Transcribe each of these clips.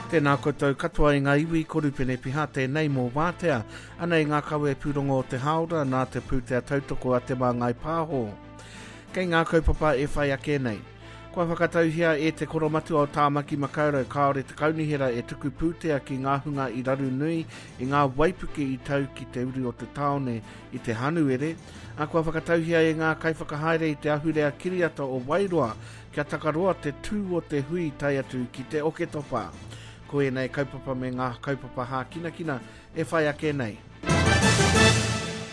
Tēnā koutou katoa i ngā iwi, ko Rupene Piha tēnei mō Wātea. Anei ngā kawe pūrongo o te hāora nā te pūtea tautoko a Te Māngai Pāho. Kei ngā kaupapa e whai ake nei. Kua whakatauhia e te Koromatua o Tāmaki Makaurau kāore te kaunihera e tuku pūtea ki ngā hunga i raru nui i ngā waipuke i tau ki te uru o te tāone i te Hanuere, ā, kua whakatauhia e ngā kaiwhakahaere i te ahurea kiriata o Wairoa kia takaroa te tū o te hui tae atu ki te Oketopa. Ko ēnei kaupapa me ngā kaupapa hākinakina e whai ake nei.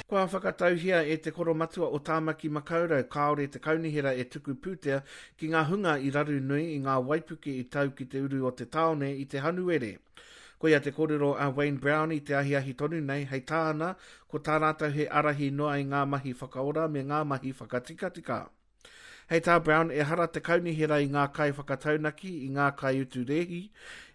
Kua whakatauhia e te Koromatua o Tāmaki Makaurau kāore te kaunihera e tuku pūtea ki ngā hunga i raru nui i ngā waipuke i tau ki te uru o te tāone i te Hanuere. Koia te kōrero a Wayne Brown i te ahiahi tonu nei, hei tāna, ko tā rātou he ārahi noa i ngā mahi whakaora me ngā mahi whakatikatika. Hei tā Brown, ehara te kaunihera i ngā kaiwhakataunaki, i ngā kaiutu rēhi,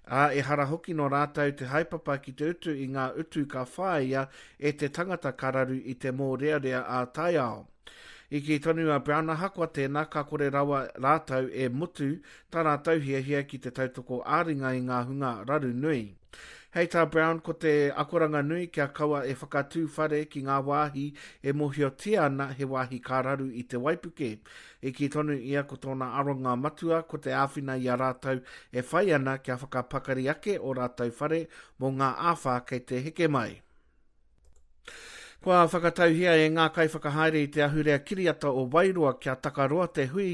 ā, ehara hoki nō rātou te haepapa ki te utu i ngā utu ka whāia e te tangata ka raru i te mōrearea ā-taiao. I kī tonu a Brown ahakoa tēnā ka kore rawa rātou e mutu tā rātou hiahia ki te tautoko ā-ringa i ngā hunga raru nui. Hei tā Brown ko te akoranga nui kia kaua e whakatū whare ki ngā wāhi e mōhiotia ana he wāhi ka raru i te waipuke. I kī tonu ia ko tōna aronga matua ko te āwhina i a rātou e whai ana kia whakapakari ake ō rātou whare mō ngā āwhā kei te heke mai. Kua whakatauhia e ngā kaiwhakahaere i te ahurea kiriata o Wairoa kia takaroa te hui,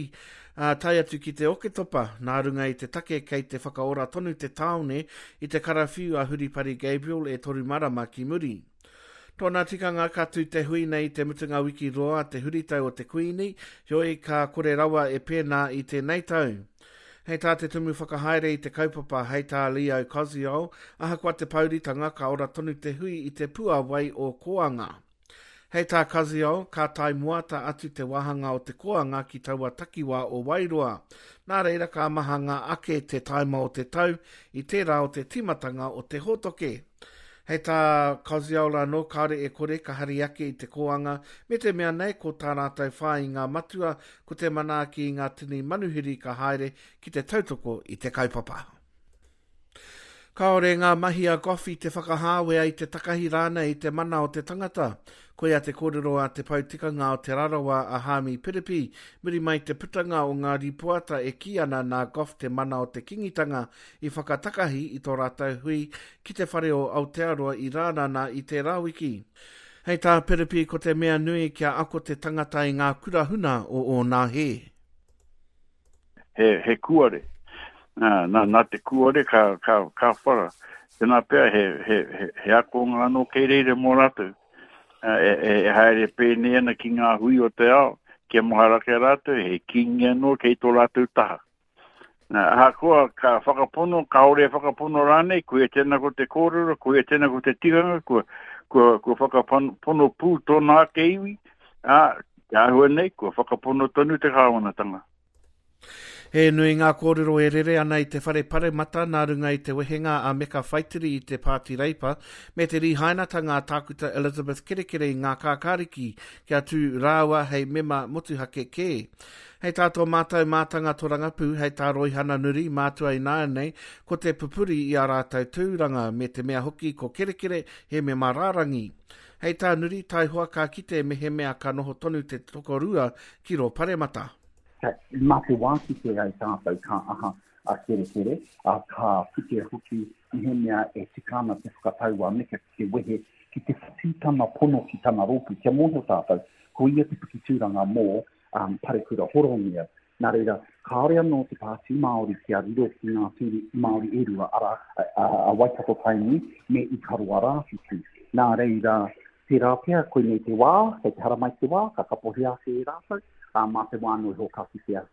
ā, tae atu ki te Oketopa, nā runga i te take kei te whakaora tonu te tāone i te karawhiu a Huripari Gabriel e toru marama ki muri. Tōna tikanga ka tū te hui nei i te mutunga wiki roa te huritau o te Kuini, heoi ka kore rawa e pēnā i tēnei tau. Hei tā te tumu whakahaere i te kaupapa, hei tā Leo Koziol, ahakoa te pouritanga, ka ora tonu te hui i te puawai o Koanga. Hei tā Koziol, ka tae moata atu te wāhanga o te Koanga ki taua takiwā o Wairoa. Nā reira ka mahanga ake te taima o te tau i tērā o te tīmatanga o te hōtoke. Hei tā Koziol anō, kāore e kore ka hari ake i te kōanga, me te mea nei ko tā rātou whāinga matua ko te manaaki i ngā tini manuhiri ka haere ki te tautoko i te kaupapa. Kāore ngā mahi a Goff i te whakahāwea i te takahi rānei i te mana o te tangata. Koia te kōrero a te pou tikanga o Te Rarawa a Haami Piripi, muri mai te putanga o ngā rīpoata e kī ana nā Goff te mana o te Kingitanga i whakatakahi i tō rātou hui ki te Whare o Aotearoa i Rānana i tērā wiki. Hei tā Piripi ko te mea nui kia ako te tangata i ngā kura huna o ōna hē. He, he kuare. Nā, nā, nā te kuare ka, ka, ka whara. Tēnā pea he, he, he, he akonga anō kei reira mō rātou. E, e, e haere pēnei ana ki ngā hui o te ao, kia mahara ki a rātou, he kīngi anō kei tō rātou taha. Nā, ahakoa ka whakapono, kāore e whakapono rānei, koia tēnā ko te kōrero, koia tēnā ko te tikanga, kua, kua, kua whakapono pū tōna ake iwi, ā, te āhua nei, kua whakapono tonu te kāwanatanga. He nui ngā kōrero e rere ana i te whare paremata nā runga i te wehenga a Meka Whaitiri i te Pāti Reipa me te rīhainatanga a Tākuta Elizabeth Kerekere i ngā kākāriki kia tū rāua hei mema motuhake kē. Hei tā tō mātou mātanga torangapū, hei tā Roihana Nuri, mātua ināianei, ko te pupuri i ā rātou tūranga, me te mea hoki ko Kerekere he mema rārangi. Hei tā Nuri, taihoa ka kite mehemea ka noho tonu te tokorua ki rō paremata. Mā te wā kite ai tātou ka aha a Kerekere, ā, ka kite hoki mehemea e tika ana te whakatau a Meka ki te wehe, ki te whati tana pono ki tana rōpū, kia mōhio tātou, ko ia te piki tūranga mō um, Parekura Horomia. Nā reira, kāore anō te Pāti Māori kia riro ki ngā tūru Māori e rua, arā, a, a, a Waikato Tainui me Ikaroa Rāwhiti. Nā reira, tērā pea, koinei te wā, kei te haramai te wā, ka kapohia ake e rātou, ā, mā te wā anō iho ka kitea.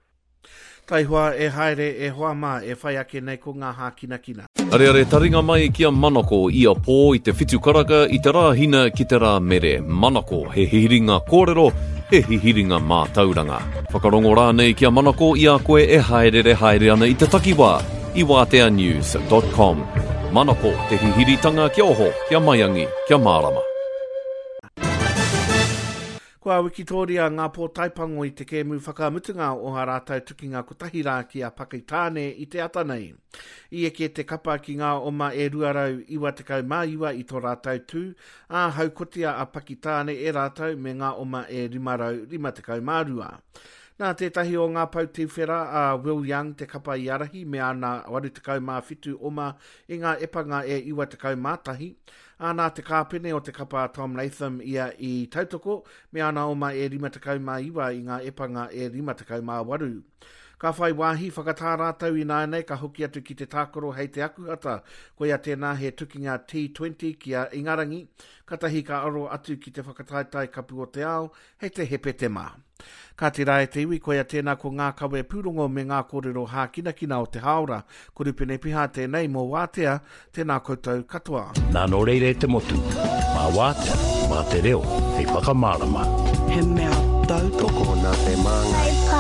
Taihoa e haere e hoa mā, e whai ake nei ko ngā hākinakina. Areare taringa mai ki a Manako ia pō i te whitu karaka i te Rāhina ki te Rāmere. Manako, he hihiringa kōrero, he hihiringa mātauranga. Whakarongo rānei ki a Manako i a koe e hāereere haere ana i te takiwā i wāteanews dot com. Manako, te hihiritanga kia oho, kia maiangi, kia mārama. Kua wikitōria ngā pōtaepango i te kēmu whakamutunga o ā rātou tukinga kotahi rā ki a Pakitāne i te ata nei. I eke te kapa ki ngā oma e 299 i tō rātou tū, ā, haukotia a Pakitāne e rātou me ngā oma e 552. Nā tētahi o ngā pou tuwhera a Will Young te kapa i ārahi me ana 87 oma i ngā epanga e 91, Ā, nā te kāpene o te kapa a Tom Latham ia i tautoko, me ana oma e 59 i ngā epanga e 58. Ka whai wāhi whakatā rātou ināianei ka hoki atu ki te tākaro hei te Akuhata, koia tēnā he tukinga T20 ki a Ingarangi, katahi ka aro atu ki te whakataetae Kapu o te Ao hei te Hepetema. Kāti rā e te iwi, koia tēnā ko ngā kawe pūrongo me ngā kōrero hākinakina o te hāora. Ko Rupene Piha tēnei mō Wātea, tēnā koutou katoa. Nā nō reira e te motu, mā Wātea, mā te reo hei whakamārama. He mea tautoko. Tokona te māngai.